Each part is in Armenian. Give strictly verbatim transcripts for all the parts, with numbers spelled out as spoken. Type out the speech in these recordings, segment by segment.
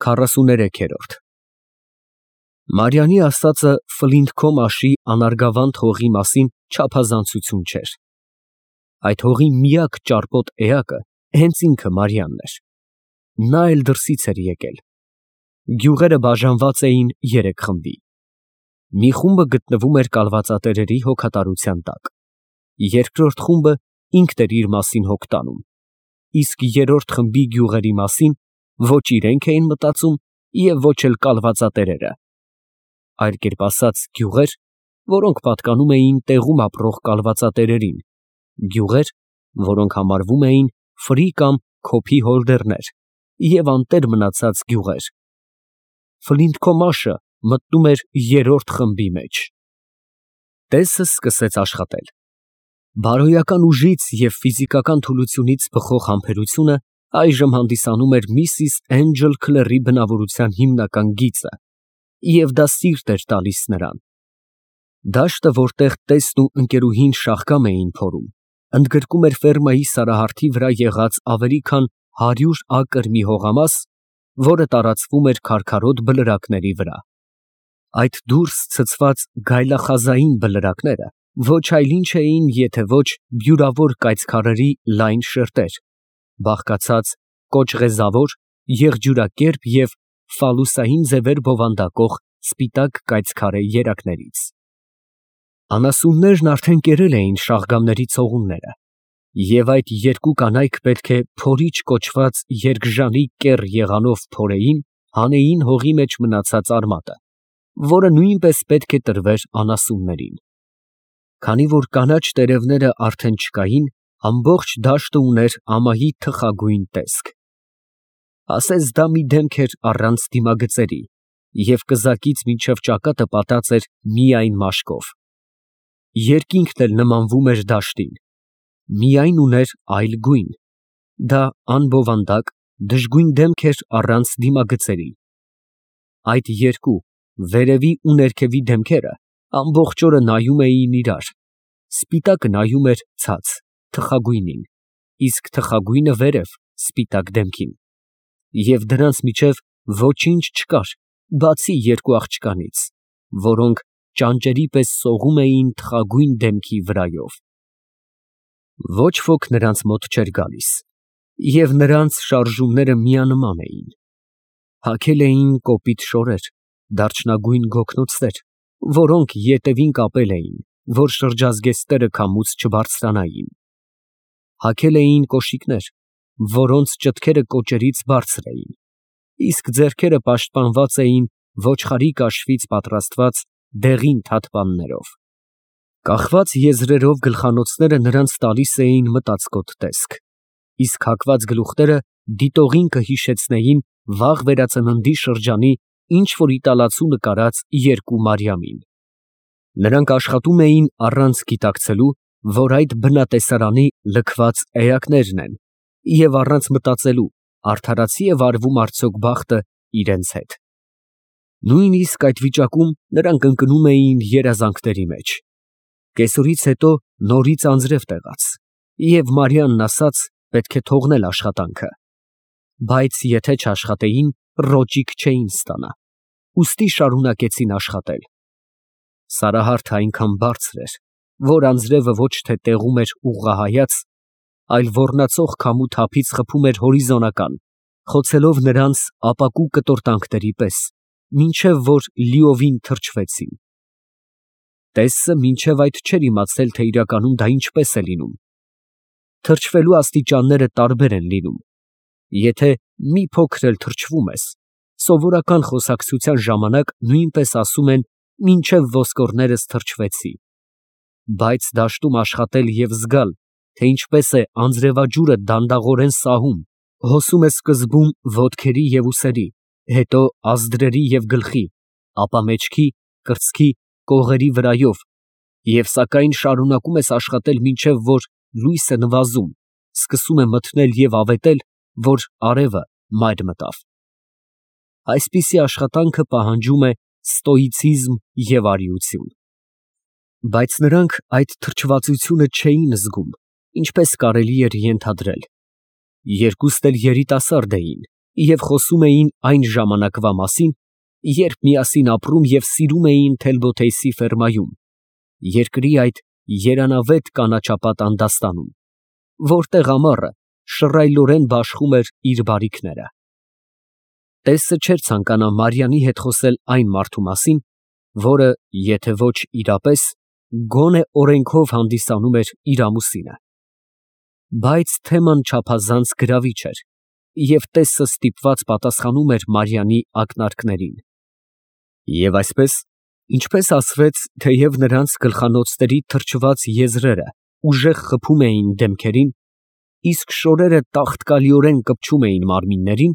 քառասուներեքերորդ Մարյանի ասածը Ֆլինթ Քոմաշի անարգավանդ հողի մասին չափազանցություն չէր։ Այդ հողի միակ ճարպոտ էակը հենց ինքը Մարյանն էր։ Նա էլ դրսից էր եկել։ Գյուղերը բաժանված էին երեք խմբի։ Մի խումբը գտնվում էր կալվածատերերի հոգատարության տակ։ Երկրորդ խումբը ինքն էր իր մասին հոգ տանում, իսկ երրորդ խմբի գյուղերի մասին ոչ իրենք էին մտածում և ոչ էլ կալվածատերերը։ Այլ կերպ ասած, գյուղեր, որոնք պատկանում էին տեղում ապրող կալվածատերերին, գյուղեր, որոնք համարվում էին ֆրի կամ քոփի հորդորներ, և անտեր մնացած գյուղեր։ Ֆլինթ Քոմաշը մտնում էր երրորդ խմբի մեջ։ Տեսը սկսեց աշխատել։ Բարոյական ուժից և ֆիզիկական թուլությունից բխող համբերությունը այժմ հանդիսանում էր միսիս Էնջել Քլերի բնավորության հիմնական գիծը, և դա սիրտ էր տալիս նրան։ Դաշտը, որտեղ տեսն ու ընկերուհին շաղկամ էին փորում, ընդգրկում էր ֆերմայի սարահարթի վրա եղած ավելի քան հարյուր ակր մի հողամաս, որը տարածվում էր քարքարոտ բլրակների վրա։ Այդ դուրս ցցված գայլախազային բլրակները ոչ այլ ինչ էին, եթե ոչ բյուրավոր կայծքարերի լայն շերտեր, բաղկացած կոճղեզավոր, եղջյուրակերպ և ֆալուսային ձևեր բովանդակող սպիտակ կայծքարե երակներից։ Անասուններն արդեն կերել էին շաղգամների ցողունները, և այդ երկու կանայք պետք է փորիչ կոչված երկժանի կեռ եղանով փորեին, հանեին հողի մեջ մնացած արմատը, որը նույնպես պետք է տրվեր անասուններին։ Քանի որ կանաչ տերևները արդեն չկային, ամբողջ դաշտը ուներ ամայի թխագույն տեսք։ Ասես դա մի դեմք էր առանց դիմագծերի, և կզակից մինչև ճակատը պատած էր միայն մաշկով։ Երկինքն էլ նմանվում էր դաշտին, միայն ուներ այլ գույն, դա անբովանդակ, դժգույն դեմք էր առանց դիմագծերի։ Այդ երկու, վերևի ու ներքևի դեմքերը ամբողջ օրը նայում էին իրար, սպիտակը նայում էր ցած, թխագույնին, իսկ թխագույնը վերև, սպիտակ դեմքին, և դրանց միջև ոչինչ չկար, բացի երկու աղջկանից, որոնք ճանճերի պես սողում էին թխագույն դեմքի վրայով։ Ոչ ոք նրանց մոտ չէր գալիս, և նրանց շարժումները միանման էին։ Հագել էին կոպիտ շորեր, դարչնագույն գոգնոցներ, որոնք ետևին կապել էին, որ շրջազգեստները քամուց չբարձրանային։ Հագել էին կոշիկներ, որոնց ճտքերը կոճերից բարձր էին, իսկ ձեռքերը պաշտպանված էին ոչխարի կաշվից պատրաստված դեղին թաթպաններով։ Կախված եզրերով գլխանոցները նրանց տալիս էին մտածկոտ տեսք, իսկ հագված գլուխները դիտողին կհիշեցնեին վաղ վերածննդի շրջանի ինչ֊որ իտալացու նկարած երկու Մարիամին։ Նրանք աշխատում էին առանց գիտակցելու, որ այդ բնատեսարանի լքված էակներն են, և առանց մտածելու, արդարացի է վարվում արդյոք բախտը իրենց հետ։ Նույնիսկ այդ վիճակում նրանք ընկնում էին երազանքների մեջ։ Կեսօրից հետո նորից անձրև տեղաց, և Մարիամն ասաց պետք է թողնել աշխատանքը։ Բայց եթե չաշխատեին, ռոճիկ չէին ստանա, ուստի շարունակեցին աշխատել։ Սարահարթը այնքան բարձր էր, որ անձրևը ոչ թե տեղում էր ուղղահայաց, այլ ոռնացող քամու թափից խփում էր հորիզոնական, խոցելով նրանց ապակու կտորտանքների պես, մինչև որ լիովին թրջվեցին։ Տեսը մինչև այդ չէր իմացել, թե իրականում դա ինչպես է լինում։ Թրջվելու աստիճանները տարբեր են լինում։ Եթե մի փոքր էլ թրջվում ես, սովորական խոսակցության ժամանակ նույնպես ասում են մինչև ոսկորներս թրջվեցի։ Բայց դաշտում աշխատել և զգալ, թե ինչպես է անձրևաջուրը դանդաղորեն սահում, հոսում է սկզբում ոտքերի և ուսերի, հետո ազդրերի և գլխի, ապա մեջքի, կրծքի, կողերի վրայով, և սակայն շարունակում ես աշխատել մինչև որ լույսը նվազում, սկսում է մթնել և ավետել, որ արևը մայր մտավ։ Այսպիսի աշխատանքը պահանջում է ստոիցիզմ և արիություն։ Բայց նրանք այդ թրջվածությունը չէին զգում, ինչպես կարելի էր ենթադրել։ Երկուստ էլ երիտասարդ էին և խոսում էին այն ժամանակվա մասին, երբ միասին ապրում և սիրում էին Թելբոթեյսի ֆերմայում, երկրի այդ երանավետ կանաչապատ անդաստանում, որտեղ ամառը շռայլորեն բաշխում էր իր բարիքները։ Տեսը չէր ցանկանա Մարիամի հետ խոսել այն մարդու մասին, որը, եթե ոչ իրապես, գոնե օրենքով հանդիսանում էր իր ամուսինը։ Բայց թեման չափազանց գրավիչ էր, և տեսը ստիպված պատասխանում էր Մարիամի ակնարկներին։ Եվ այսպես, ինչպես ասվեց, թեև նրանց գլխանոցների թրջված եզրերը ուժեղ խփում էին դեմքերին, իսկ շորերը տաղտկալիորեն կպչում էին մարմիններին,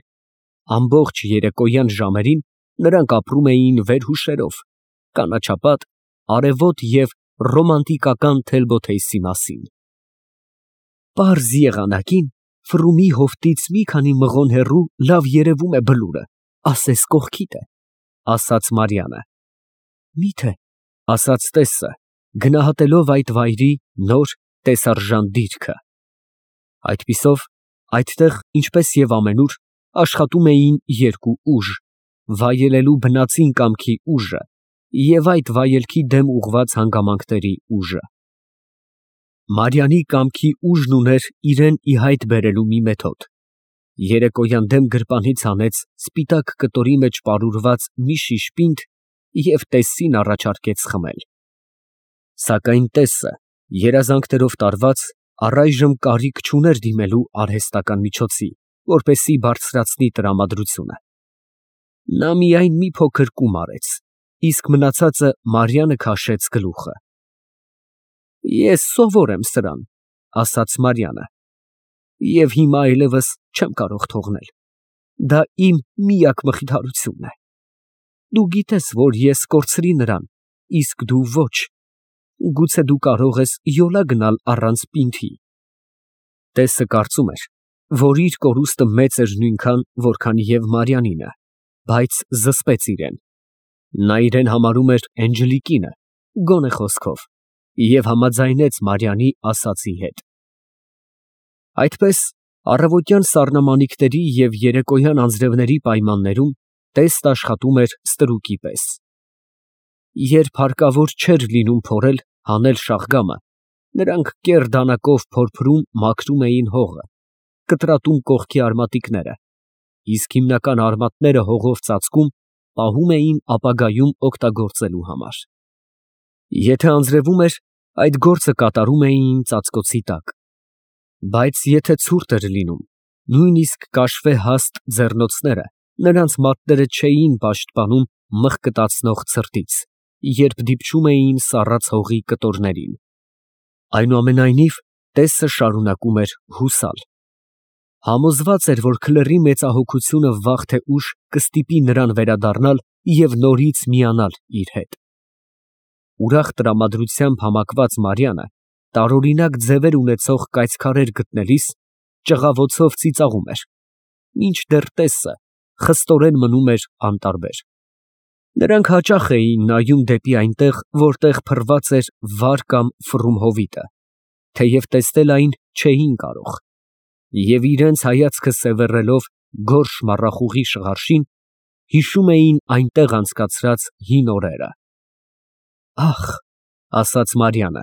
ամբողջ երեկոյան ժամերին նրանք ապրում էին վերհուշերով, կանաչապատ, արևոտ և ռոմանտիկական Թելբոթեյսի մասին։ Պարզ եղանակին Ֆրումի հովտից մի քանի մղոն հեռու լավ երևում է բլուրը, ասես կողքիդ է, ասաց Մարիամը։ Միթե, ասաց տեսը, գնահատելով այդ վայրի նոր տեսարժան դիրքը։ Այդպիսով, այդտեղ, ինչպես և ամենուր, աշխատում էին երկու ուժ, վայելելու բնածին կամքի ուժը և այդ վայելքի դեմ ուղղված հանգամանքների ուժը։ Մարիամի կամքի ուժն ուներ իրան ի հայտ բերելու մի մեթոդ։ Երեկոյան դեմ գրպանից հանեց սպիտակ կտորի մեջ պարուրված մի շիշ պինդ և տեսին առաջարկեց խմել։ Սակայն տեսը, երազանքներով տարված, առայժմ կարիք չուներ դիմելու արհեստական միջոցի, որպեսզի բարձրացնի տրամադրությունը։ Նա միայն մի փոքր կում արեց, իսկ մնացածը Մարիամը քաշեց գլուխը։ Ես սովոր եմ սրան, ասաց Մարիամը, և հիմա այլևս չեմ կարող թողնել, դա իմ միակ մխիթարությունն է։ Դու գիտես, որ ես կորցրի նրան, իսկ դու ոչ, գուցե դու կարող ես յոլա գնալ առանց պինդի։ Տեսը կարծում էր, որ իր կորուստը մեծ էր նույնքան, որքան և Մարիամինը, բայց զսպեց իրեն։ Նա իրեն համարում էր Էնջելիկինը, գոնե խոսքով, և համաձայնեց Մարիամի ասածի հետ։ Այդպես, առավոտյան սառնամանիքների և երեկոյան անձրևների պայմաններում տեսն աշխատում էր ստրուկի պես։ Երբ հարկավոր չէր լինում փորել, հանել շաղգամը, նրանք կեռ դանակով փորփրում, մաքրում էին հողը, կտրատում կողքի արմատիկները, իսկ հիմնական արմատները հողով ծածկում, պահում էին ապագայում օգտագործելու համար։ Եթե անձրևում էր, այդ գործը կատարում էին ծածկոցի տակ։ Բայց եթե ցուրտ էր լինում, նույնիսկ կաշվե֊հաստ ձեռնոցները նրանց մատները չէին պաշտպանում մղկտացնող ցրտից, երբ դիպչում էին սառած հողի կտորներին։ Այնուամենայնիվ, տեսը շարունակում էր հուսալ։ Համոզված էր, որ քլերի մեծահոգությունը վաղ թե ուշ կստիպի նրան վերադառնալ և նորից միանալ իր հետ։ Ուրախ տրամադրությամբ համակված Մարիամը տարօրինակ ձևեր ունեցող կայծքարեր գտնելիս ճղավոցով ծիծաղում էր, մինչդեռ տեսը խստորեն մնում էր անտարբեր։ Նրանք հաճախ էին նայում դեպի այնտեղ, որտեղ փռված էր վար կամ ֆռում հովիտը, թեև տեսնել այն չէին կարող, և իրենց հայացքը սևեռելով գորշ մառախուղի շղարշին, հիշում էին այնտեղ անցկացրած հին օրերը։ Ախ, ասաց Մարիամը,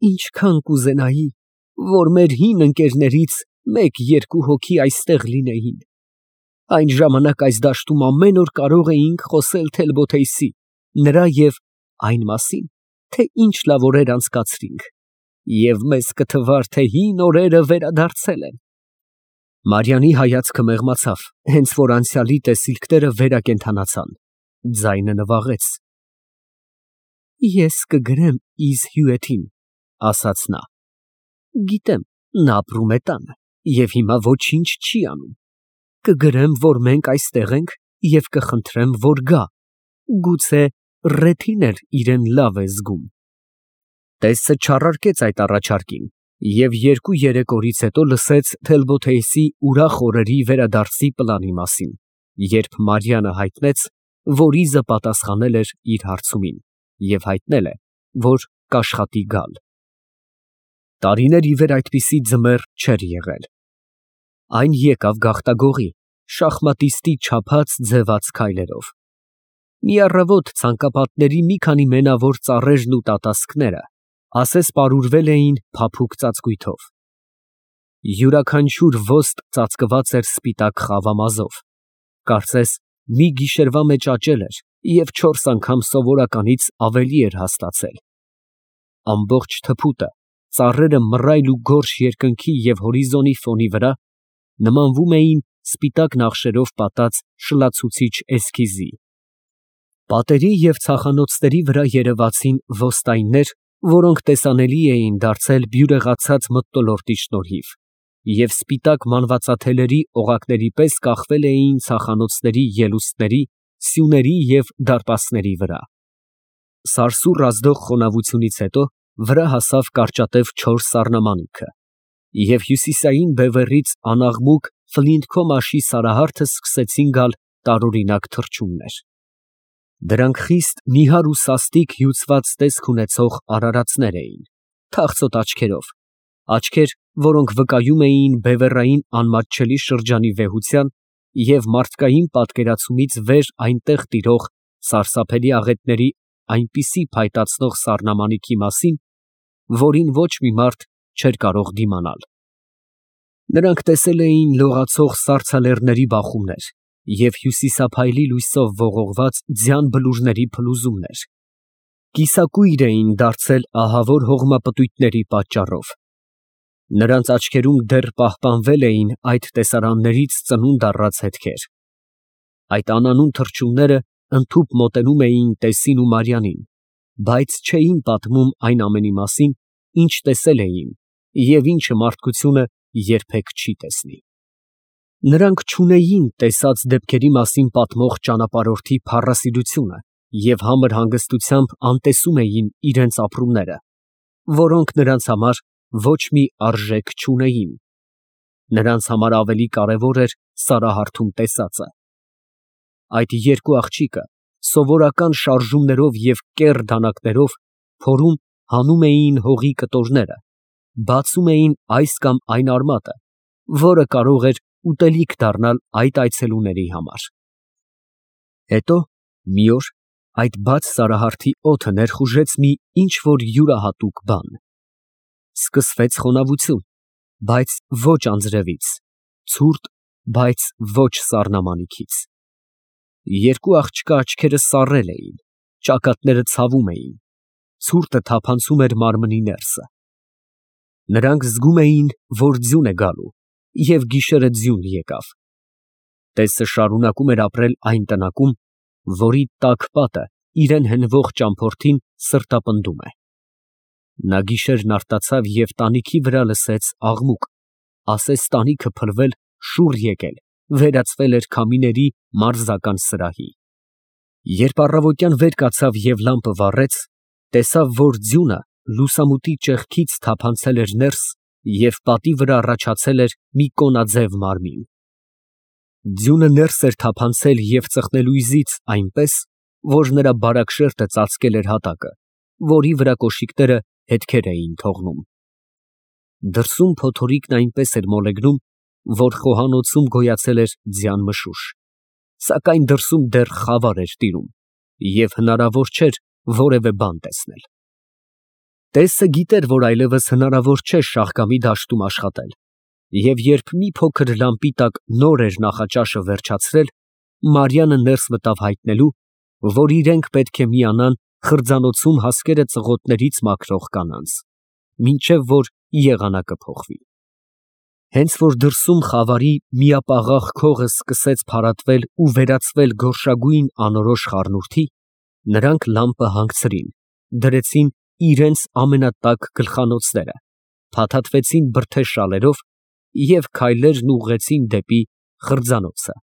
ինչքան կուզենայի, որ մեր հին ընկերներից մեկ֊երկու հոգի այստեղ լինեին։ Այն ժամանակ այս դաշտում ամեն օր կարող էինք խոսել Թելբոթեյսի, նրա և այն մասին, թե ինչ լավ օրեր անցկացրինք, և մեզ կթվար, թե հին օրերը վերադարձել են։ Մարիամի հայացքը մեղմացավ, հենց որ անցյալի տեսիլքները վերակենդանացան, ձայնը նվաղեց։ Ես կգրեմ իզ հյուրերին, ասաց նա։ Գիտեմ, նա ապրում է տանը և հիմա ոչինչ չի անում։ Կգրեմ, որ մենք այստեղ ենք և կխնդրեմ, որ գա, գուցե Ռեթին էլ իրեն լավ է զգում։ Տեսը չառարկեց այդ առաջարկին և երկու երեկոից հետո լսեց Թելբոթեյսի ուրախ օրերի վերադարձի պլանի մասին, երբ Մարիամը հայտնեց, որ իզը պատասխանել էր իր հարցումին և հայտնել է, որ կաշխատի գալ։ Տարիներ ի վեր այդպիսի ձմեռ չէր եղել։ Այն եկավ գաղտագողի, շախմատիստի չափած ձևաց քայլերով։ Մի առավոտ ցանկապատների մի քանի մենավոր ծառերն ու տատասկները ասես պարուրվել էին փափուկ ծածկույթով։ Յուրաքանչյուր ոստ ծածկված էր սպիտակ խավամազով, կարծես մի գիշերվա մեջ աճել էր և չորս անգամ սովորականից ավելի էր հաստացել։ Ամբողջ թփուտը, ծառերը մռայլ ու գորշ երկնքի և հորիզոնի ֆոնի վրա նմանվում էին սպիտակ նախշերով պատած շլացուցիչ էսքիզի։ Պատերի և ցախանոցների վրա երևացին ոստայններ, որոնք տեսանելի էին դարձել բյուրեղացած մթնոլորտի շնորհիվ, և սպիտակ մանվածաթելերի օղակների պես կախվել էին ցախանոցների ելուստների, սյուների և դարպասների վրա։ Սարսուռ ազդող խոնավությունից հետո վրա հասավ կարճատև չոր սառնամանիքը, և հյուսիսային բևեռից անաղմուկ ֆլինթքոմաշի սարահարթը սկսեցին գալ տարօրինակ թռչուններ։ Դրանք խիստ նիհար ու սաստիկ հյուծված տեսք ունեցող արարածներ էին, թախծոտ աչքերով, աչքեր, որոնք վկայում էին բևեռային անմատչելի շրջանի վեհության և մարդկային պատկերացումից վեր այնտեղ տիրող սարսափելի աղետների այնպիսի փայտացնող սառնամանիքի մասին, որին ոչ մի մարդ չէր կարող դիմանալ։ Նրանք տեսել էին լողացող սառցալեռների բախումներ և հյուսիսափայլի լույսով ողողված ձյան բլուրների փլուզումներ, կիսակույր էին դարձել ահավոր հողմապտույտների պատճառով։ Նրանց աչքերում դեռ պահպանվել էին այդ տեսարաններից ծնունդ առած հետքեր։ Այդ անանուն թռչունները ընդհուպ մոտենում էին Տեսին ու Մարյանին, բայց չէին պատմում այն ամենի մասին, ինչ տեսել էին և ինչը մարդկությունը երբեք չի տեսնի։ Նրանք չունեին տեսած դեպքերի մասին պատմող ճանապարհորդի փառասիրությունը և համր հանգստությամբ անտեսում էին իրենց ապրումները, որոնք նրանց համար ոչ մի արժեք չունեին։ Նրանց համար ավելի կարևոր էր սարահարթում տեսածը։ Այդ երկու աղջիկը սովորական շարժումներով և կեռ դանակներով փորում հանում էին հողի կտորները, բացում էին այս կամ այն արմատը, որը կարող էր ուտելիք դառնալ այդ այցելուների համար։ Հետո մի օր այդ բաց սարահարթի օդը ներխուժեց մի ինչ֊որ յուրահատուկ բան։ Սկսվեց խոնավություն, բայց ոչ անձրևից, ցուրտ, բայց ոչ սառնամանիքից։ Երկու աղջկա աչքերը սառել էին, ճակատները ցավում էին, ցուրտը թափանցում էր մարմնի ներսը։ Նրանք զգում էին, որ ձյուն է գալու, և գիշերը ձյուն եկավ։ Տեսը շարունակում էր ապրել այն տնակում, որի տաք պատը իրան հենվող ճամփորդին սրտապնդում է։ Նա գիշերն արթնացավ և տանիքի վրա լսեց աղմուկ, ասես տանիքը փլվել, շուռ եկել, վերածվել էր քամիների մարզական սրահի։ Երբ առավոտյան վեր կացավ և լամպը վառեց, տեսավ, որ ձյունը լուսամուտի ճեղքից թափանցել էր ներս և պատի վրա առաջացել էր մի կոնաձև մարմին։ Ձյունը ներս էր թափանցել և ծխնելույզից այնպես, որ նրա բարակ շերտը ծածկել էր հատակը, որի վրա կոշիկները հետքեր էին թողնում։ Դրսում փոթորիկն այնպես էր մոլեգնում, որ խոհանոցում գոյացել էր ձյան մշուշ, սակայն դրսում դեռ խավար էր տիրում, և հնարավոր չէր որևէ բան տեսնել։ Տեսը գիտեր, որ այլևս հնարավոր չէ Շահկամի դաշտում աշխատել, և երբ մի փոքր լամպի տակ նոր էր նախաճաշը վերջացրել, Մարիանը ներս մտավ հայտնելու, որ իրենք պետք է միանան խրձանոցում հասկերը ծղոտներից մաքրող կանանց, մինչև որ եղանակը փոխվի։ Հենց որ դրսում խավարի միապաղաղ քողը սկսեց փարատվել ու վերածվել գորշագույն անորոշ խառնուրդի, նրանք լամպը հանգցրին, դրեցին իրենց ամենատաք գլխանոցները, փաթաթվեցին բրդե շալերով և քայլերն ուղղեցին դեպի խրձանոցը։